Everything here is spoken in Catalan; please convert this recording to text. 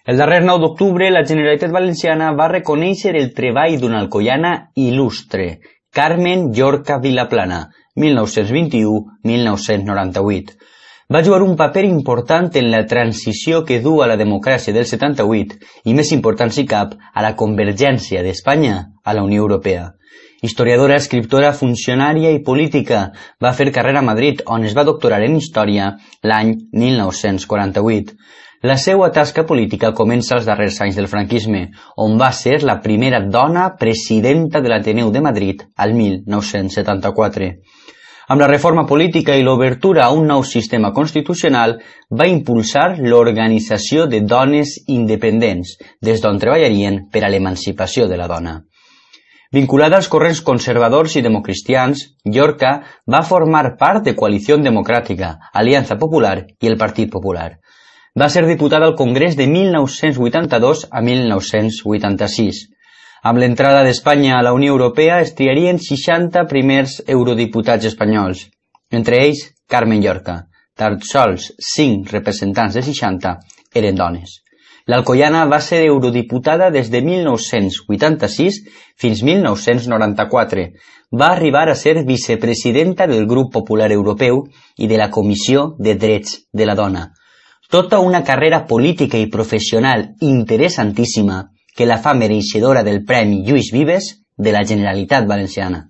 El darrer 9 d'octubre, la Generalitat Valenciana va reconèixer el treball d'una alcoiana il·lustre, Carmen Llorca Vilaplana, 1921-1998. Va jugar un paper important en la transició que du a la democràcia del 78 i, més important si cap, a la convergència d'Espanya a la Unió Europea. Historiadora, escriptora, funcionària i política, va fer carrera a Madrid, on es va doctorar en Història l'any 1948. La seva tasca política comença als darrers anys del franquisme, on va ser la primera dona presidenta de l'Ateneu de Madrid al 1974. Amb la reforma política i l'obertura a un nou sistema constitucional, va impulsar l'organització de dones independents, des d'on treballarien per a l'emancipació de la dona. Vinculada als corrents conservadors i democristians, Llorca va formar part de Coalició Democràtica, Aliança Popular i el Partit Popular. Va ser diputada al Congrés de 1982 a 1986. Amb l'entrada d'Espanya a la Unió Europea es triarien 60 primers eurodiputats espanyols, entre ells Carmen Llorca. Tan sols 5 representants de 60 eren dones. L'alcoiana va ser eurodiputada des de 1986 fins 1994. Va arribar a ser vicepresidenta del Grup Popular Europeu i de la Comissió de Drets de la Dona. Tota una carrera política i professional interessantíssima que la fa mereixedora del Premi Lluís Vives de la Generalitat Valenciana.